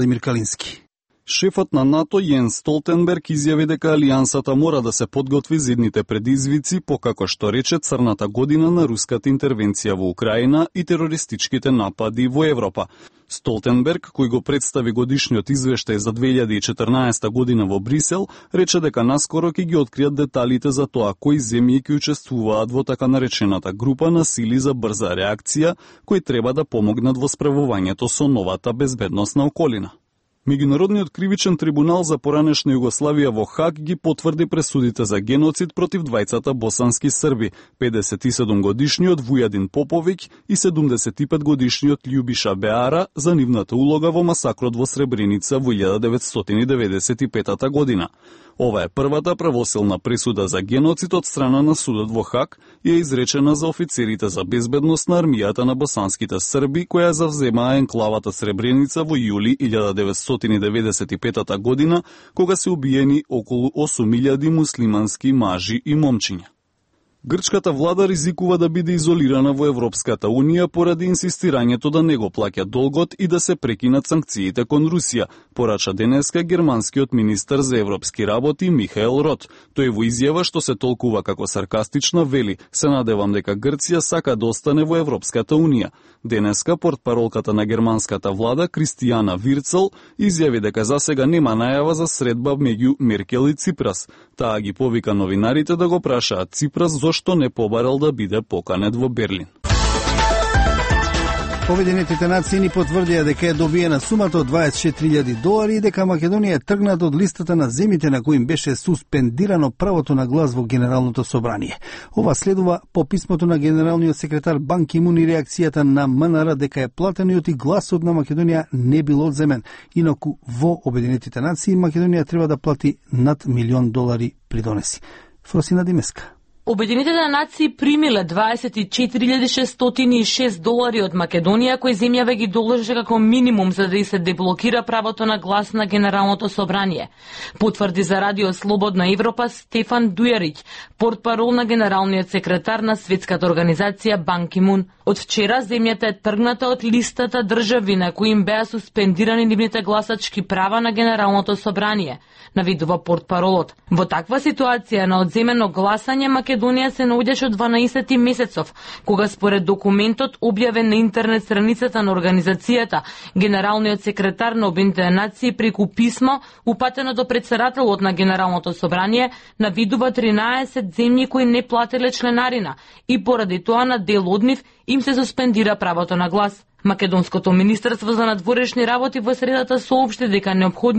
Владимир Калински. Шефот на НАТО Јенс Столтенберг изјави дека алијансата мора да се подготви за идните предизвици, покако што рече црната година на руската интервенција во Украина и терористичките напади во Европа. Столтенберг, кој го представи годишниот извештај за 2014 година во Брисел, рече дека наскоро ќе ги откријат деталите за тоа кои земји ќе учествуваат во така наречената група на сили за брза реакција, кои треба да помогнат во справувањето со новата безбедносна околина. Меѓународниот кривичен трибунал за поранешна Југославија во Хаг ги потврди пресудите за геноцид против двајцата босански срби, 57-годишниот Вујадин Поповиќ и 75-годишниот Љубиша Беара за нивната улога во масакрот во Сребреница во 1995 година. Ова е првата правосилна пресуда за геноцид од страна на судот во Хаг и е изречена за офицерите за безбедност на армијата на босанските срби, која завземаа енклавата Сребреница во јули 1995 година, кога се убиени околу 8.000 муслимански мажи и момчиња. Грчката влада ризикува да биде изолирана во Европската Унија поради инсистирањето да не го плаќа долгот и да се прекинат санкциите кон Русија, порача денеска германскиот министер за европски работи Михаел Рот. Тој во изјава што се толкува како саркастична вели: "Се надевам дека Грција сака да остане во Европската Унија." Денеска портпаролката на германската влада Кристијана Вирцел изјави дека засега нема најава за средба меѓу Меркел и Ципрас. Таа ги повика новинарите да го прашаат Ципрас зошто не побарал да биде поканет во Берлин. Обединетите нации ни потврдија дека е добиена сумата од $24,000 и дека Македонија е тргната од листата на земјите на кои им беше суспендирано правото на глас во Генералното собрание. Ова следува по писмото на генералниот секретар Бан Ки Мун и реакцијата на МНР дека е платениот и гласот на Македонија не бил одземен. Инаку во Обединетите нации Македонија треба да плати над $1,000,000 придонеси. Фросина Димеска. Обединетите нации примиле $24,606 од Македонија, кои земјава ги должи како минимум за да се деблокира правото на глас на Генералното собрание. Потврди за Радио Слободна Европа Стефан Дујарич, портпарол на генералниот секретар на Светската организација Бан Ки Мун. Од вчера земјата е тргната од листата држави на кои им беа суспендирани нивните гласачки права на Генералното собрание, навидува портпаролот. Во таква ситуација на одземено гласање Македонија се наоѓаше од 12 месецов, кога според документот објавен на интернет страницата на организацијата, генералниот секретар на Обединетите нации преку писмо упатено до претседателот на Генералното собрание навидува 13 земји кои не плателе членарина и поради тоа на дел од нив им се суспендира правото на глас. Македонското министерство за надворешни работи во средата соопшти дека неопходни